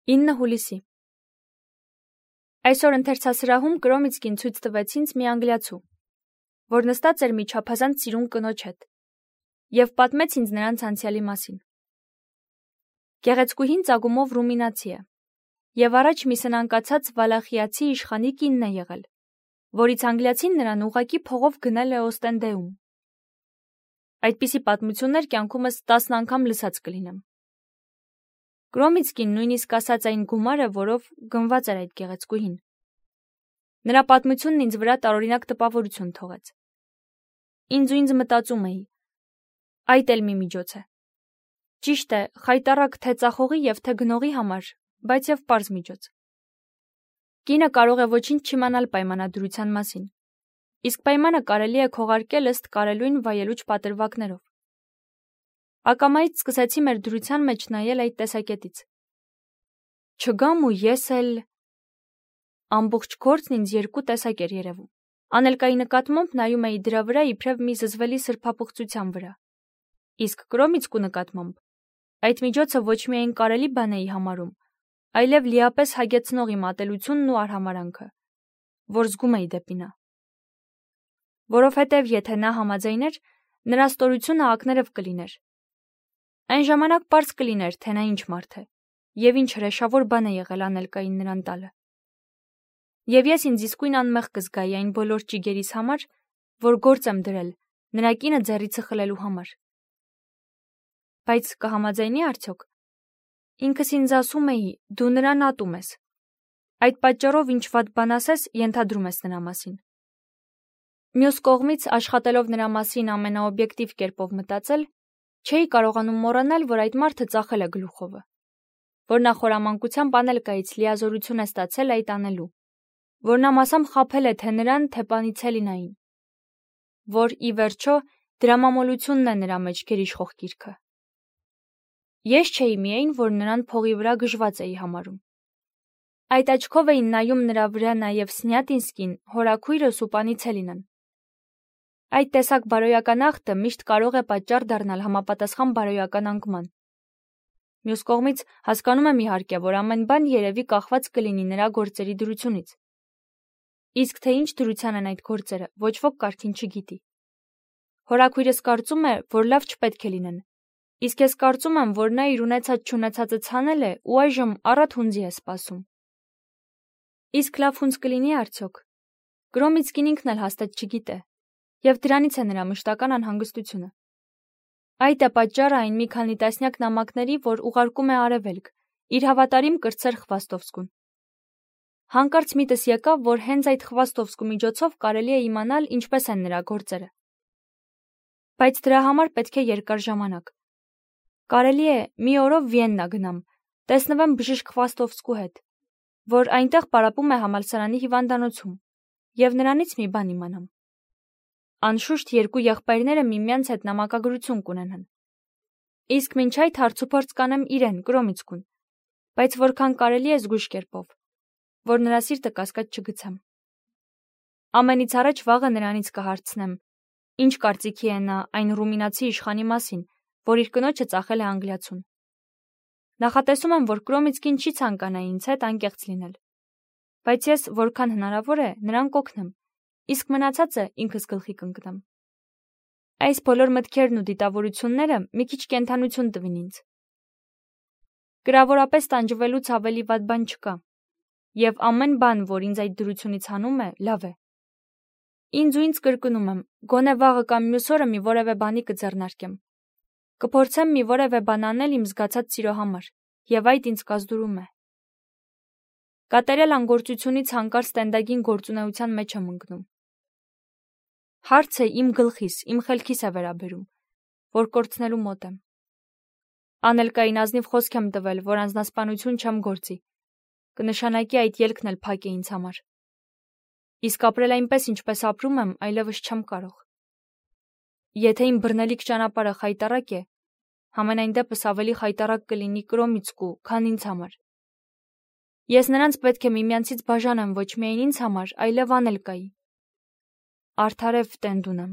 9 հուլիսի Այսօր ընթերցասրահում Կրոմիցկին ցույց տվեց ինձ մի անգլիացու, որ նստած էր մի չափազանց սիրուն կնոջ հետ, և պատմեց ինձ նրանց անցյալի մասին։ Գեղեցկուհին ծագումով ռումինացի է, և առաջ մի սնանկացած վալախիացի իշխանի կինն է եղել, որից անգլիացին նրան ուղղակի փողով գնել է Օստենդեում։ Այդպիսի պատմություններ կյանքումս 10 անգամ լսած կլինեմ։ Կրոմիցկին նույնիսկ ասաց այն գումարը, որով գնված էր այդ գեղեցկուհին։ Նրա պատմությունն ինձ վրա տարօրինակ տպավորություն թողեց։ Ինձ մտածում էի. այդ էլ մի միջոց է։ Ճիշտ է, խայտառակ թե ծախողի և թե գնողի համար, բայց և պարզ միջոց։ Կինը կարող է ոչինչ չիմանալ պայմանադրության մասին, իսկ պայմանը կարելի է քողարկել ըստ կարելույն վայելուչ պատրվակներով։ Ակամայից սկսեցի մեր դրության մեջ նայել այդ տեսակետից։ Չգամ ու ես էլ… Ամբողջ գործն ինձ երկու տեսակ էր երևում։ Անելկայի նկատմամբ նայում էի դրա վրա իբրև մի զզվելի սրբապղծության վրա, իսկ Կրոմիցկու նկատմամբ այդ միջոցը ոչ միայն կարելի բան էի համարում, այլև լիապես հագեցնող իմ ատելությունն ու արհամարհանքը, որ զգում էի դեպի նա։ Որովհետև եթե նա համաձայներ, նրա ստորությունը ակներև կլիներ։ Այն ժամանակ պարզ կլիներ, թե նա ինչ մարդ է, և ինչ հրեշավոր բան է եղել անելկային նրան տալը։ Եվ ես ինձ իսկույն անմեղ կզգայի այն բոլոր ճիգերիս համար, որ գործ եմ դրել նրա կինը ձեռիցը խլելու համար։ Բայց կհամաձայնի՞ արդյոք։ Ինքս ինձ ասում էի, դու նրան ատում ես։ Այդ պատճառով ինչ վատ բան ասես, ենթադրում ես նրա մասին։ Մյուս կողմից, աշխատելով նրա մասին ամենաօբյեկտիվ կերպով մտածել, չէի կարողանում մոռանալ, որ այդ մարդը ծախել է գլուխովը, որ նա խորամանկությամբ անելկայից լիազորություն է ստացել այդ անելու, որ նա մասամբ խաբել է թե նրան, թե Պանիցելինային, որ, ի վերջո, դրամամոլությունն է նրա մեջ գերիշխող գիրքը։ Ես չէի միայն, որ նրան փողի վրա գժված էի համարում։ Այդ աչքով էին նայում նրա վրա նաև Սնյատինսկին, հորաքույրս ու Պանիցելինան։ Այդ տեսակ բարոյական ախտը միշտ կարող է պատճառ դառնալ համապատասխան բարոյական անկման։ Մյուս կողմից, հասկանում եմ իհարկե, որ ամեն բան երևի կախված կլինի նրա գործերի դրությունից։ Իսկ թե ինչ դրության են այդ գործերը, ոչ ոք կարծին չգիտի։ Հորաքույրս կարծում է, որ լավ չպետք է լինեն, իսկ ես կարծում եմ, որ նա իր ունեցած-չունեցածը ցանել է ու այժմ առատ հունձի է սպասում։ Իսկ լավ հունձ կլինի արդյոք։ Կրոմիցկին ինքն էլ հաստատ չգիտե, և դրանից է նրա մշտական անհանգստությունը։ Այդ է պատճառը այն մի քանի տասնյակ նամակների, որ ուղարկում է Արևելք, իր հավատարիմ կրտսեր Խվաստովսկուն։ Հանկարծ միտս եկավ, որ հենց այդ Խվաստովսկու միջոցով կարելի է իմանալ ինչպես են նրա գործերը։ Բայց դրա համար պետք է երկար ժամանակ։ Կարելի է մի օրով Վիեննա գնամ, տեսնվեմ բժիշկ Խվաստովսկու հետ, որ այնտեղ պարապում է համալսարանի հիվանդանոցում, և նրանից մի բան իմանամ։ Անշուշտ երկու եղբայրները միմյանց հետ նամակագրություն կունենան։ Իսկ մինչ այդ հարցուփորձ կանեմ իրեն, Կրոմիցկուն, բայց որքան կարելի է զգույշ կերպով, որ նրա սիրտը կասկած չգցեմ։ Ամենից առաջ վաղը նրանից կհարցնեմ, ինչ կարծիքի է նա այն ռումինացի իշխանի մասին, որ իր կնոջը ծախել է անգլիացուն։ Նախատեսում եմ, որ Կրոմիցկին չի ցանկանա ինձ հետ անկեղծ լինել, բայց ես, որքան հնարավոր է, նրան կօգնեմ, իսկ մնացածը ինքս գլխի կընկնեմ։ Այս բոլոր մտքերն ու դիտավորությունները մի քիչ կենդանություն տվին ինձ։ Գրավորապես տանջվելուց ավելի վատ բան չկա, և ամեն բան, որ ինձ այդ դրությունից հանում է, լավ է։ Ինձ կրկնում եմ, գոնե վաղը կամ մյուս օրը մի որևէ բանի կձեռնարկեմ։ Կփորձեմ մի որևէ բան անել իմ զգացած սիրո համար, և այդ ինձ կազդուրում է։ Կատարյալ անգործությունից հանկարծ տենդագին գործունեության մեջ եմ ընկնում։ Հարցը իմ գլխիս, իմ խելքիս է վերաբերում, որ կորցնելու մոտ եմ։ Անելկային ազնիվ խոսք եմ տվել, որ անձնասպանություն չեմ գործի, կնշանակի այդ ելքն էլ փակ է ինձ համար։ Իսկ ապրել այնպես, ինչպես ապրում եմ, այլևս չեմ կարող։ Եթե իմ բռնելիք ճանապարհը խայտառակ է, համենայն դեպս ավելի խայտառակ կլինի Կրոմիցկու, քան ինձ համար։ Ես նրանց պետք է միմյանցից բաժանեմ ոչ միայն ինձ համար, այլև անելկայի։ Արդարև տենդ ունեմ։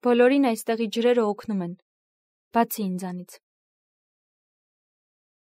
Բոլորին այստեղի ջրերը օգնում են, բացի ինձանից։